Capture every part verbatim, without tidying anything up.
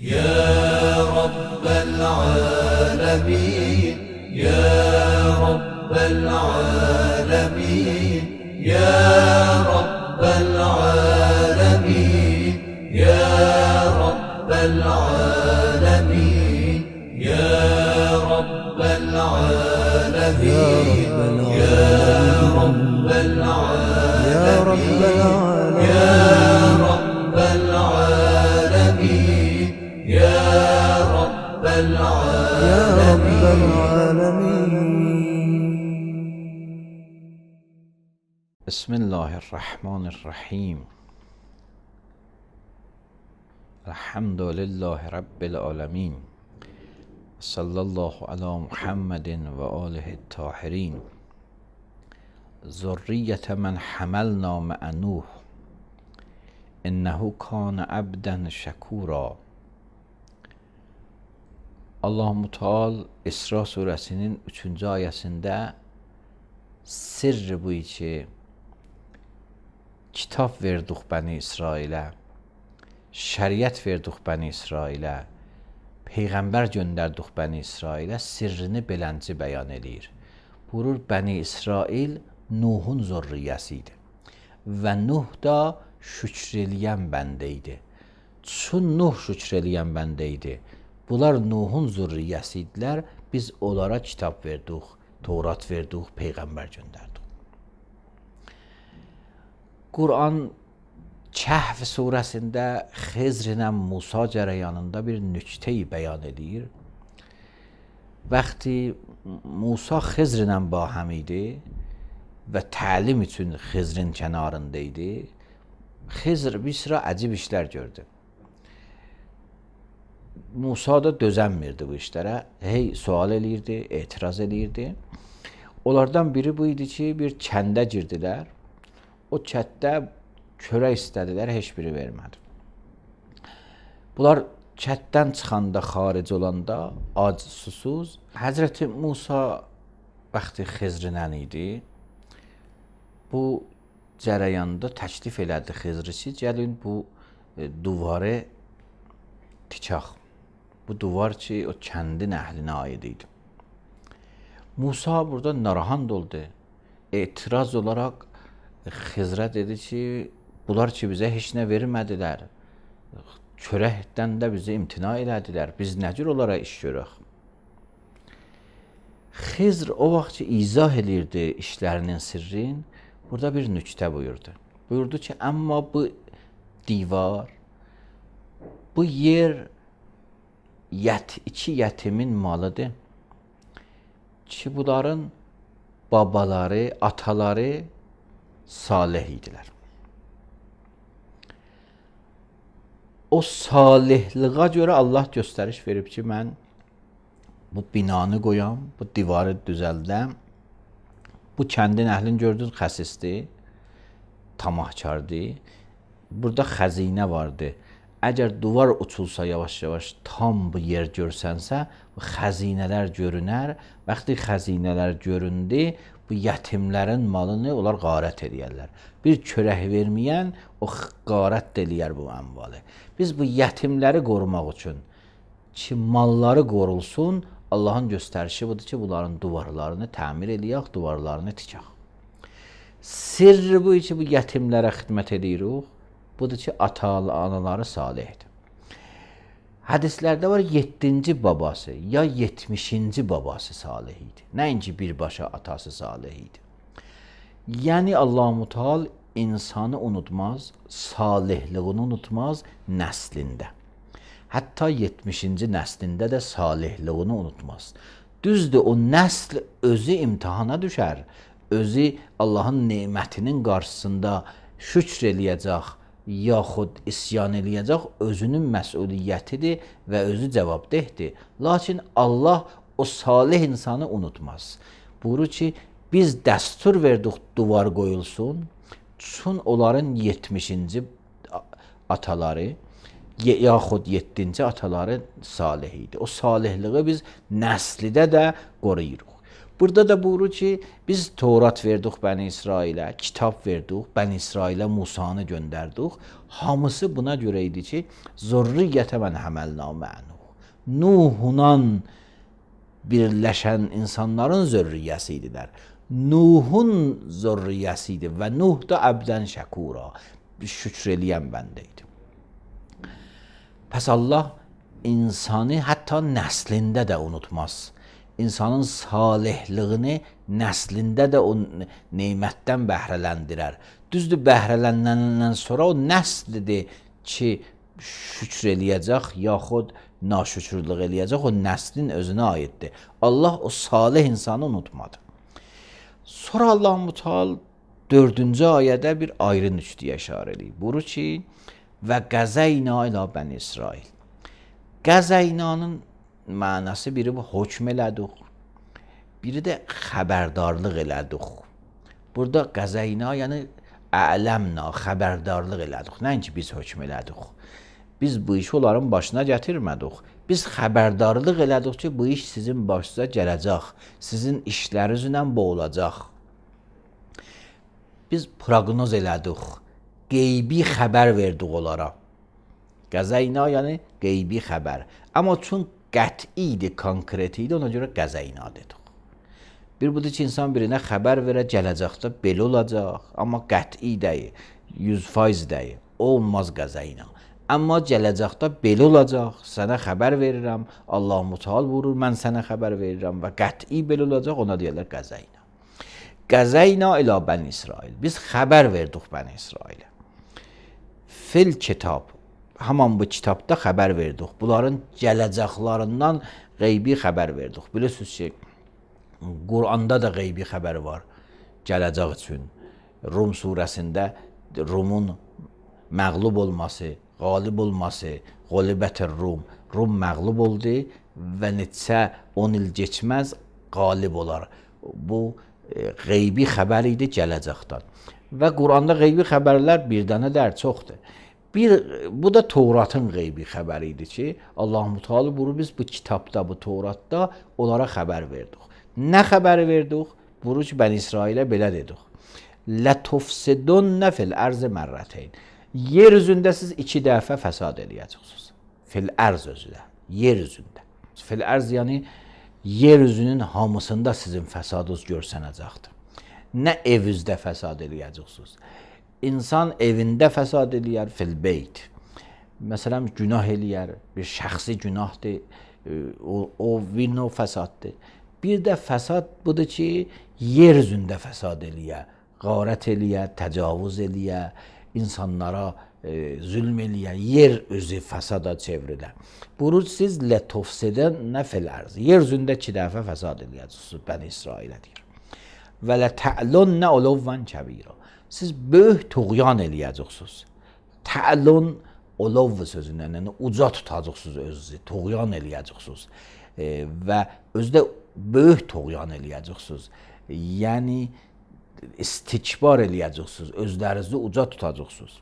يا رب العالمين يا رب العالمين يا رب العالمين يا رب العالمين يا رب العالمين يا رب العالمين يا رب العالمين يا رب العالمين. بسم الله الرحمن الرحیم. الحمد لله رب العالمین. صلی الله علی محمد و آله الطاهرین. ذریة من حملنا مع نوح انه کان عبدا شکورا. Allah-u Teala İsra suresinin üçüncü ayesinde sırrı bu ki kitap verdik Bəni İsrailə, şəriət verdik Bəni İsrailə, peyğəmbər göndərdik Bəni İsrailə, sirrini belənci bəyan edir. Buyurur, Bəni İsrail Nuhun zürriyyəsidir və Nuh da şükr eləyən bəndə idi. Çün Nuh şükr eləyən bəndə idi. Bunlar Nuhun zürriyyəsi idilər. Biz onlara kitab verdik, Tevrat verdik, peyğəmbər göndərdik. Quran Kəhf surəsində Xizr ilə Musa cərəyanında bir nüktəyi bəyan edir. Vaxtı Musa Xizr ilə bahəm idi və təlim üçün Xizrin kənarında idi. Xizr bir sıra əcib işlər gördü. Musa da dözənmirdi bu işlərə. Hey sual eləyirdi, etiraz eləyirdi. Onlardan biri bu idi ki, bir kəndə girdilər. O kənddə çörək istədilər, heç biri vermədi. Bunlar kənddən çıxanda, xaric olanda, ac, susuz. Həzrəti Musa vaxtı Xizrlə idi. Bu cərəyanda təklif elədi Xizri ki, gəlin bu e, duvarı tikaq. Bu duvar ki, o kəndin əhlinə aid idi. Musa burada narahat oldu. Etiraz olaraq Xizrə dedi ki, bunlar ki, bizə heç nə vermədilər. Çörəkdən də bizi imtina elədilər. Biz nə cür onlara iş görək? Xizr o vaxt ki, izah elirdi işlərinin sirrin, burada bir nüktə buyurdu. Buyurdu ki, amma bu divar, bu yer Yət, iki yətimin malıdır ki, bunların babaları, ataları salih idilər. O salihliğə görə Allah göstəriş verib ki, mən bu binanı qoyam, bu divarı düzəldəm. Bu kəndin əhlini gördünüz, xəsisdir, tamahkardır. Burada xəzinə vardır. Əgər duvar uçulsa yavaş-yavaş tam bu yer görsənsə, bu xəzinələr görünər. Vaxtı xəzinələr göründü, bu yetimlərin malını onlar qarət edərlər. Bir çörək verməyən o qarət eləyər bu əmvalı. Biz bu yetimləri qorumaq üçün ki, malları qorulsun, Allahın göstərişi budur ki, bunların duvarlarını təmir eləyək, duvarlarını tikək. Sirri bu ki, bu yetimlərə xidmət edirik. Budur ki, ata-anaları salihdir. Hədislərdə var, yeddinci babası ya yetmişinci babası salih idi. Nəinki birbaşa atası salih idi. Yəni Allah-u Teala insanı unutmaz, salihliğini unutmaz nəslində. Hətta yetmişinci nəslində də salihliğini unutmaz. Düzdür, o nəsl özü imtihana düşər. Özü Allahın nemətinin qarşısında şükr eləyəcək, yaxud isyan eləyəcək, özünün məsuliyyətidir və özü cavabdehdir. Lakin Allah o salih insanı unutmaz. Buyurur ki, biz dəstur verdik duvar qoyulsun, çün onların yetmişinci ataları, yaxud yeddinci ataları salih idi. O salihliği biz nəslidə də qoruyuruq. Burada da buyurur ki, biz Tevrat verdik Bəni İsrailə, kitab verdik, Bəni İsrailə Musanı göndərdik. Hamısı buna görə idi ki, zurriyyətə mən həməlna mə'nuh. Nuhundan birləşən insanların zürriyyəsi idilər. Nuhun zürriyyəsi idi və Nuh da əbdən şəkura, şükür eləyən bəndə idi. Pəs Allah insanı hətta nəslində də unutmaz. İnsanın salihlığını nəslində də o neymətdən bəhrələndirər. Düzdür, bəhrələndəndən sonra o nəslidir ki, şükür eləyəcək, yaxud naşükürlük eləyəcək, o nəslin özünə aiddir. Allah o salih insanı unutmadı. Sonra Allah-u Teala dördüncü ayədə bir ayrı nüktəyə işarə eləyir. Buyurur ki, və qəzəyna ilə Bəni İsrail. Qəzəynanın mənası biri bu hökm elədik, biri də xəbərdarlıq elədik. Burada qəzəyna yəni ələmna, xəbərdarlıq elədik. Nəinki biz hökm elədik. Biz bu işi onların başına gətirmədik. Biz xəbərdarlıq elədik ki, bu iş sizin başınıza gələcək, sizin işlərinizlə boğulacaq. Biz proqnoz elədik, qeybi xəbər verdik onlara. Qəzəyna yəni qeybi xəbər. Amma çün qəti idi, konkret idi, ona görə qəzəyna dedik. Bir budur ki, insan birinə xəbər verə, gələcəkdə belə olacaq, amma qəti deyil, yüz faiz deyil, olmaz qəzəyna. Amma gələcəkdə belə olacaq, sənə xəbər verirəm, Allah-u Teala buyurur, mən sənə xəbər verirəm və qəti belə olacaq, ona deyirlər qəzəyna. Qəzəyna ilə Bəni İsrail. Biz xəbər verdik Bəni İsrailə. Fil kitab. Haman bu kitabda xəbər verdik. Bunların gələcəklərindən qeybi xəbər verdik. Bilirsiniz ki, Quranda da qeybi xəbər var gələcək üçün. Rum surəsində Rumun məğlub olması, qalib olması, qalibət-i Rum. Rum məğlub oldu və neçə on il keçməz qalib olar. Bu qeybi xəbər idi gələcəkdən. Və Quranda qeybi xəbərlər bir dənə dər çoxdur. Bir, bu da Tevratın qeybi xəbəri idi ki, Allah-u Teala buyurur, biz bu kitabda, bu Tevratda onlara xəbər verdik. Nə xəbəri verdik? Buyurur ki, Bəni İsrailə belə dedik. Lətufsidunnə fil ərzi mərrəteyn. Yer üzündə siz iki dəfə fəsad eləyəcəksiniz. Fil ərz özüdə, yer üzündə. Fil ərz yəni yer üzünün hamısında sizin fəsadınız görsənəcəkdir. Nə evinizdə fəsad eləyəcəksiniz. İnsan evində fəsad eləyər, fil beyt. Məsələn, günah eləyər, bir şəxsi günahdır, o, o vino fəsaddır. Bir də fəsad budur ki, yer üzündə fəsad eləyər, qarət eləyər, təcavüz eləyər, insanlara e, zülm eləyər, yer özü fəsada çevrilər. Buyurur, siz lətufsidunə fil ərz. Yer üzündə iki dəfə fəsad eləyəcəksiniz, Bəni İsrailə deyir. Və lətə'lunnə uluvvan kəbira. Siz böyük tuğyan eləyəcəksiniz. Tə'lun olov sözündən, yəni uca tutacaqsınız özünüzü, tuğyan eləyəcəksiniz. E, və özdə böyük tuğyan eləyəcəksiniz. Yəni istikbar eləyəcəksiniz, özlərinizi uca tutacaqsınız.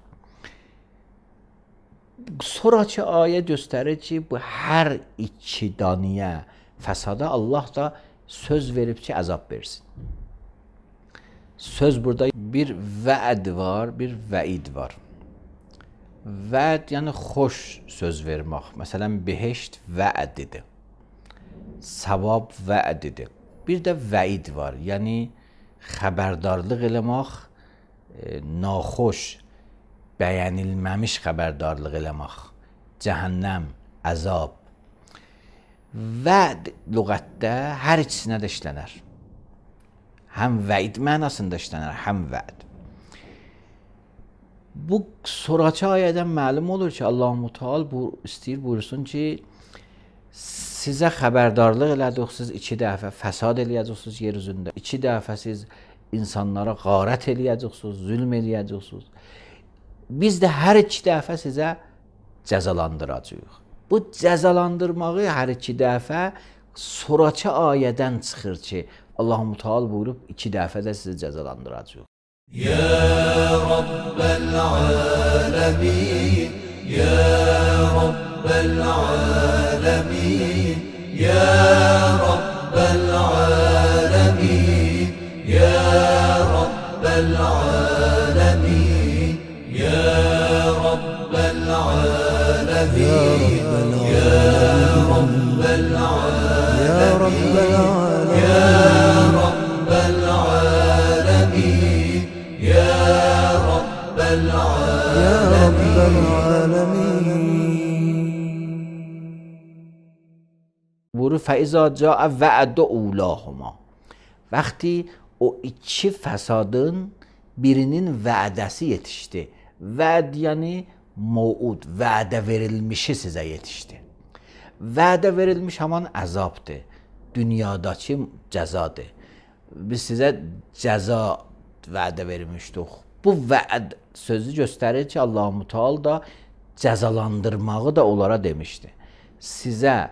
Sonraki ayə göstərir ki, bu hər iki daniyə fəsada Allah da söz verib ki, əzab versin. Söz burada bir vəd var, bir vəid var. Vəd yəni xoş söz vermək. Məsələn, behişt vədidir. Savab vədidir. Bir də vəid var. Yəni xəbərdarlıq eləmək, e, naxoş, bəyənilməmiş xəbərdarlıq eləmək. Cəhənnəm, əzab. Vəd lüğətdə hər ikisinə də işlənər. Həm vəid mənasında işlənər, həm vəd. Bu sonraki ayədən məlum olur ki, Allah-u Teala bu istəyir buyursun ki, sizə xəbərdarlıq elədik, siz iki dəfə fəsad eləyəcəksiniz yer üzündə. İki dəfə siz insanlara qarət eləyəcəksiniz, zülm eləyəcəksiniz. Biz də hər iki dəfə sizə cəzalandıracağıq. Bu cəzalandırmağı hər iki dəfə sonraki ayədən çıxır ki, Allah-u Teala buyurub iki dəfə də sizi cəzalandıracaq. Ya Rabbel alemin, Ya Rabbel alemin, Ya Rabbel alemin. buyurur fəizə cəə vəədə ulahuma. Vəqti o iki fəsadın birinin vədəsi yetişdi. Vəd yəni mevud, vədə verilmişi sizə yetişdi. Vədə verilmiş haman əzabdır. Dünyadakı cəzadır. Biz sizə cəza vədə vermişdik. Bu vəd sözü göstərir ki, Allah-u Teala da cəzalandırmağı da onlara demişdi. Sizə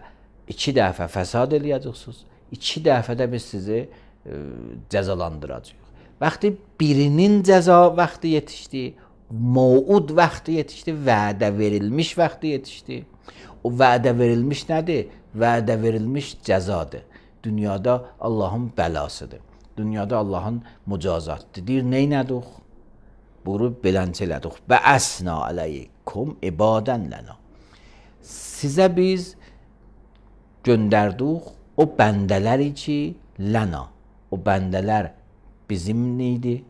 iki dəfə fəsad eləyəcəksiniz, iki dəfə də biz sizi e, cəzalandıracağıq. Vaxtı birinin cəza vaxtı yetişdi, mevud vaxtı yetişdi, vədə verilmiş vaxtı yetişdi. O vədə verilmiş nədir? Vədə verilmiş cəzadır. Dünyada Allahın bəlasıdır. Dünyada Allahın mücazatıdır. Deyir, neynədik? Buyurub belənçə elədik. Və əsna aleykum ibadən lənə. Sizə biz göndərdik o bəndələri ki, lənə. O bəndələr bizim idi,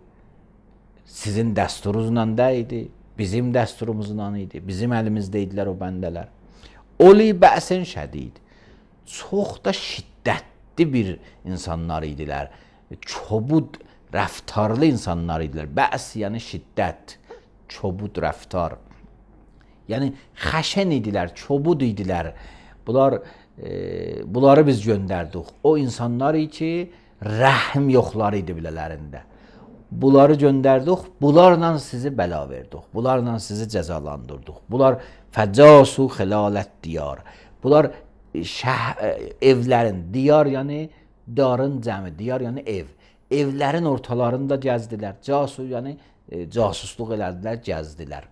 sizin dəsturunuzla da idi, bizim dəsturumuzla idi, bizim əlimizdə idilər o bəndələr. Oli bəsin şədid. Çox da şiddətli bir insanlar idilər. Çobud, rəftarlı insanlar idilər. Bəs yəni şiddət, çobud rəftar. Yəni xəşən idilər, çobud idilər. Bunlar e, bunları biz göndərdik. O insanlar ki, rəhm yoxları idi bilələrində. Bunları göndərdik, bunlarla sizi bəla verdik. Bunlarla sizi cəzalandırdıq. Bunlar fəcasu xilalət diyar. Bunlar şəh, evlərin, diyar yəni darın cəmi, diyar yəni ev. Evlərin ortalarında gəzdilər. Casu yəni e, casusluq elədilər, gəzdilər.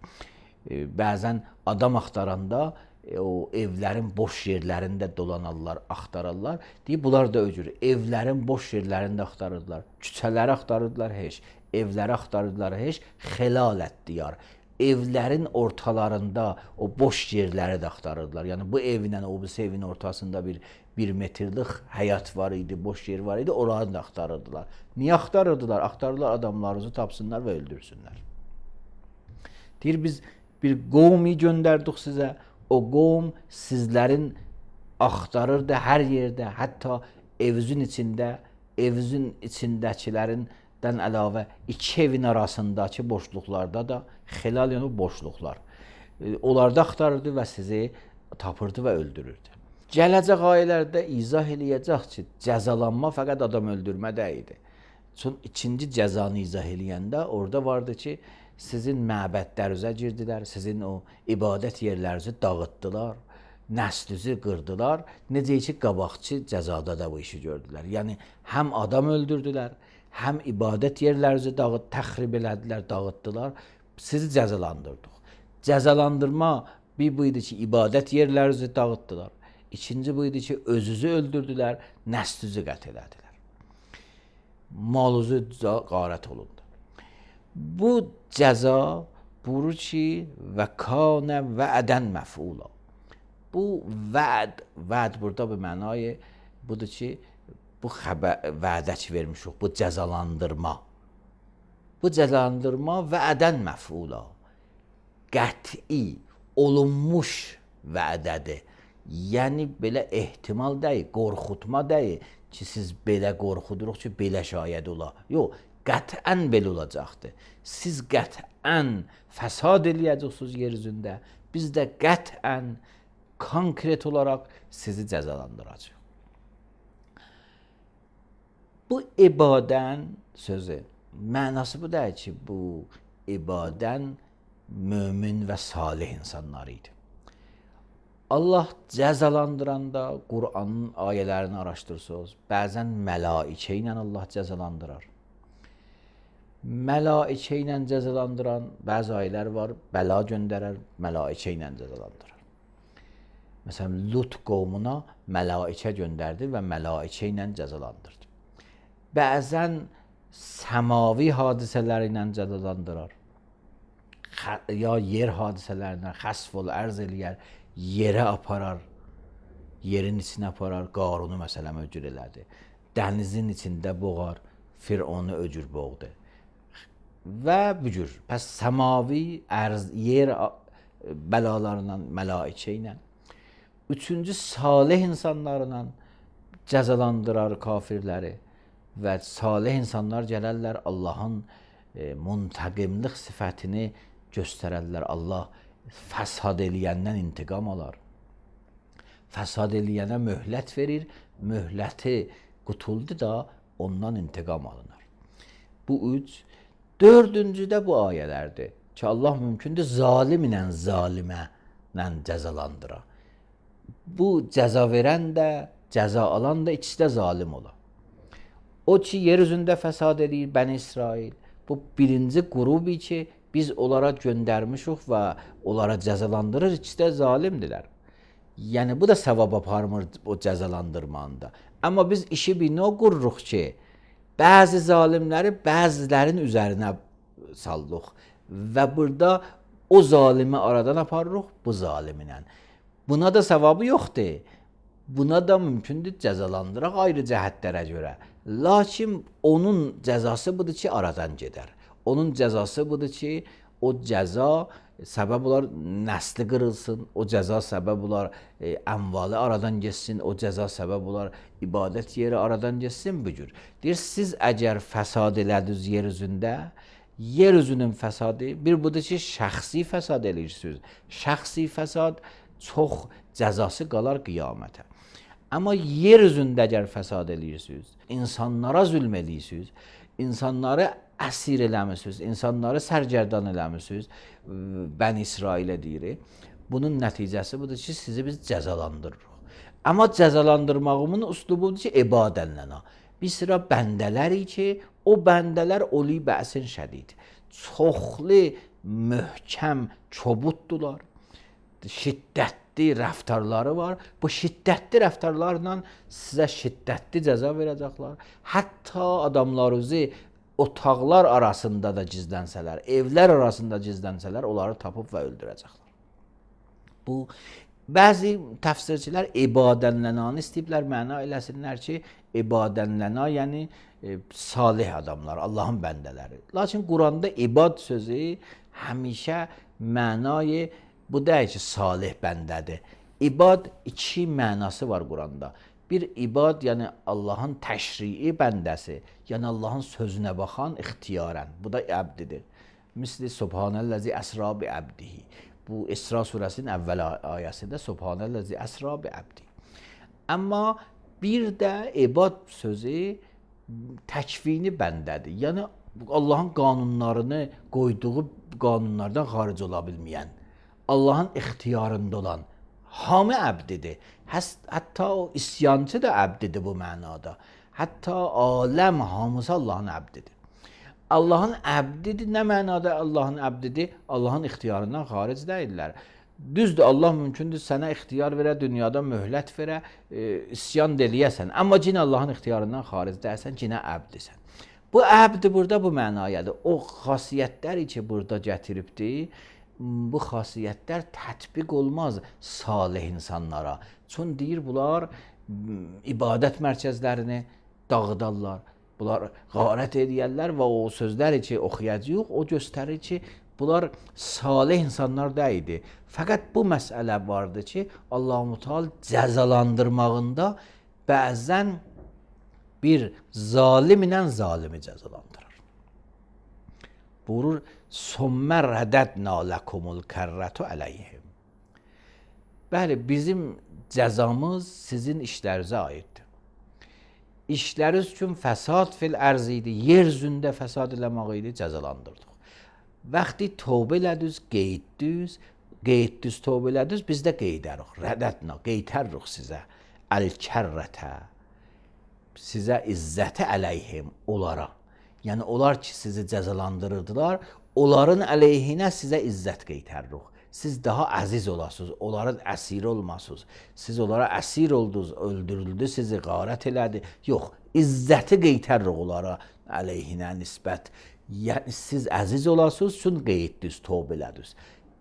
E, bəzən adam axtaranda e, o evlərin boş yerlərində dolanarlar, axtararlar. Deyib, bunlar da öcür. Evlərin boş yerlərində axtarırlar. Küçələri axtarırlar, heç. Evləri axtarırlar, heç. Xilalət diyar. Evlərin ortalarında o boş yerləri də axtarırlar. Yəni bu evlə o birisi evin ortasında bir bir metrlik həyat var idi, boş yer var idi, oranı da axtarırdılar. Niyə axtarırdılar? Axtarırlar adamlarınızı tapsınlar və öldürsünlər. Deyir, biz bir qovmi göndərdik sizə. O qovm sizlərin axtarırdı hər yerdə, hətta evizin içində, evizin içindəkilərindən əlavə iki evin arasındakı boşluqlarda da xilal yəni boşluqlar. Onlarda axtarırdı və sizi tapırdı və öldürürdü. Gələcək ayələrdə izah eləyəcək ki, cəzalanma fəqət adam öldürmə deyildi. Çünki ikinci cəzanı izah eləyəndə orada vardı ki, sizin məbədlərinizə girdilər, sizin o ibadət yerlərinizi dağıtdılar, nəslinizi qırdılar. Necə ki, qabaqçı cəzada da bu işi gördülər. Yəni, həm adam öldürdülər, həm ibadət yerlərinizi dağıt, təxrib elədilər, dağıtdılar, sizi cəzalandırdıq. Cəzalandırma bir buydu ki, ibadət yerlərinizi dağıtdılar. İkinci buydu ki, özünüzü öldürdülər, nəslinizi qət elədilər. Malınızı qarət olundu. Bu cəza buyurur ki, və kanə vədən məfula. Bu vəd, vəd burada bir mənayı budur ki, bu xəbər, vədə ki vermişik, bu cəzalandırma. Bu cəzalandırma vədən məfula. Qəti, olunmuş vədədir. Yəni belə ehtimal deyil, qorxutma deyil ki, siz belə qorxuduruq ki, belə şayəd ola. Yox, qətən belə olacaqdır. Siz qətən fəsad eləyəcəksiniz yer üzündə. Biz də qətən konkret olaraq sizi cəzalandıracaq. Bu ibadən sözü, mənası bu deyil ki, bu ibadən mömin və salih insanları idi. Allah cəzalandıranda Qur'anın ayələrini araşdırsınız. Bəzən məlaikə ilə Allah cəzalandırar. Məlaikə ilə cəzalandıran bəzi ayələr var, bəla göndərər, məlaikə ilə cəzalandırar. Məsələn, Lut qovmuna məlaikə göndərdi və məlaikə ilə cəzalandırdı. Bəzən səmavi hadisələr ilə cəzalandırar. Ya yer hadisələrindən xəsf ol, ərz eləyər, yerə aparar, yerin içinə aparar, Qarunu məsələn öcür elədi. Dənizin içində boğar, Fironu öcür boğdu. Və bu cür, pəs səmavi, ərz, yer bəlalarından, məlaikə ilə. Üçüncü, salih insanlarla cəzalandırar kafirləri və salih insanlar gələrlər Allahın e, muntaqimlik sifətini göstərərlər. Allah fəsad eləyəndən intiqam alar. Fəsad eləyənə möhlət verir, möhləti qutuldu da ondan intiqam alınır. Bu üç. Dördüncü də bu ayələrdir ki, Allah mümkündür zalim ilə zalimə ilə cəzalandıra. Bu cəza verən də, cəza alan da ikisi də zalim ola. O ki, yer üzündə fəsad edir Bəni İsrail. Bu birinci qrubu ki, biz onlara göndərmişik və onlara cəzalandırır, ikisi də zalimdirlər. Yəni, bu da savab aparmır o cəzalandırmanda. Amma biz işi bir nə qururuq ki, bəzi zalimləri bəzilərin üzərinə sallıq və burada o zalimi aradan aparırıq bu zaliminə. Buna da savabı yoxdur. Buna da mümkündür cəzalandıraq ayrı cəhətlərə görə. Lakin onun cəzası budur ki, aradan gedər. Onun cəzası budur ki, o cəza səbəb olar nəsli qırılsın, o cəza səbəb olar e, əmvalı aradan geçsin, o cəza səbəb olar ibadət yeri aradan geçsin bu cür. Deyir, siz əgər fəsad elədiniz yer üzündə, yer üzünün fəsadı bir budur ki, şəxsi fəsad eləyirsiniz. Şəxsi fəsad çox cəzası qalar qiyamətə. Amma yer üzündə əgər fəsad eləyirsiniz, insanlara zülm eləyirsiniz, insanları əsir eləmişsiniz, insanları sərgərdan eləmişsiniz, Bəni İsrailə deyirik. Bunun nəticəsi budur ki, sizi biz cəzalandırırıq. Amma cəzalandırmağımın üslubudur ki, ibadənlənə. Bir sıra bəndələri ki, o bəndələr oli bəsin şədid. Çoxlu, möhkəm, çobuddular. Şiddətli rəftarları var. Bu şiddətli rəftarlarla sizə şiddətli cəza verəcəklər. Hətta adamlarınızı otaqlar arasında da gizlənsələr, evlər arasında gizlənsələr, onları tapıb və öldürəcəklər. Bu, bəzi təfsirçilər ibadənlənanı istəyiblər, məna eləsinlər ki, ibadənləna, yəni e, salih adamlar, Allahın bəndələri. Lakin Quranda ibad sözü həmişə mənayı bu deyil ki, salih bəndədir. İbad iki mənası var Quranda. Bir ibad, yəni Allahın təşrii bəndəsi, yəni Allahın sözünə baxan ixtiyarən. Bu da əbdidir. Misli Subhanəllazi əsra bi əbdihi. Bu İsra surəsinin əvvəl ayəsində Subhanəllazi əsra bi əbdihi. Amma bir də ibad sözü təkvini bəndədir. Yəni Allahın qanunlarını qoyduğu qanunlardan xaric ola bilməyən, Allahın ixtiyarında olan hamı əbdidir. Hətta o isyancı da əbdidir bu mənada. Hətta aləm hamısı Allahın əbdidir. Allahın əbdidir, nə mənada Allahın əbdidir? Allahın ixtiyarından xaric deyirlər. Düzdür, Allah mümkündür sənə ixtiyar verə, dünyada möhlət verə, e, isyan deliyəsən. Amma cinə Allahın ixtiyarından xaric deyəsən, cinə əbdisən. Bu əbdi burada bu mənayadır. O xasiyyətləri ki, burada gətiribdir, bu xasiyyətlər tətbiq olmaz salih insanlara. Çün deyir, bunlar ibadət mərkəzlərini dağıdarlar, bunlar qarət edərlər və o sözləri ki, oxuyacaq, o göstərir ki, bunlar salih insanlar deyildi. Fəqət bu məsələ vardı ki, Allah-u Teala cəzalandırmağında bəzən bir zalim ilə zalimi cəzalandırır. Buyurur, Sümmə rədədnə ləkumul kərrətü əleyhim. Bəli, bizim cəzamız sizin işlərinizə aiddir. İşləriniz üçün fəsad fil ərz idi, yer üzündə fəsad eləmək idi, cəzalandırdıq. Vaxtı tövbə elədiniz, qeydiniz, qeydiniz, tövbə elədiniz, biz də qeydərik. Rədədnə, qeydərik sizə. Əl-kərrətə, sizə izzəti əleyhim, onlara. Yəni, onlar ki, sizi cəzalandırırdılar, onların əleyhinə sizə izzət qeydərik. Siz daha əziz olasınız, onların əsiri olmasınız. Siz onlara əsir oldunuz, öldürüldü, sizi qarət elədi. Yox, izzəti qeydərik onlara əleyhinə nisbət. Yəni, siz əziz olasınız, üçün qeydiniz, tövbə elədiniz.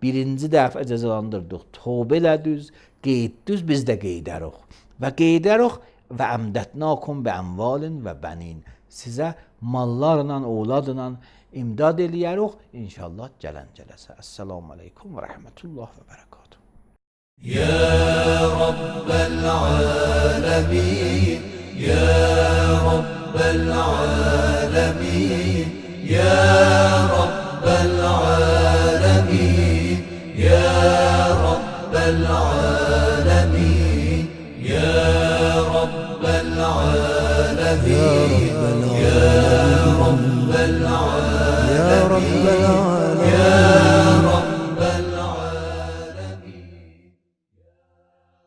Birinci dəfə cəzalandırdıq, tövbə elədiniz, qeydiniz, biz də qeydərik. Və qeydərik və əmdətnakum bə əmvalin və bənin. Sizə mallarla, oğladla imdad eləyərik, inşallah gələn gələsə. Əssalamu aleykum və rəhmətullah və bərəkatuhu. Ya Rabbel alemin يا رب العالمين يا رب العالمين يا رب العالمين يا رب العالمين يا رب العالمين يا رب العالمين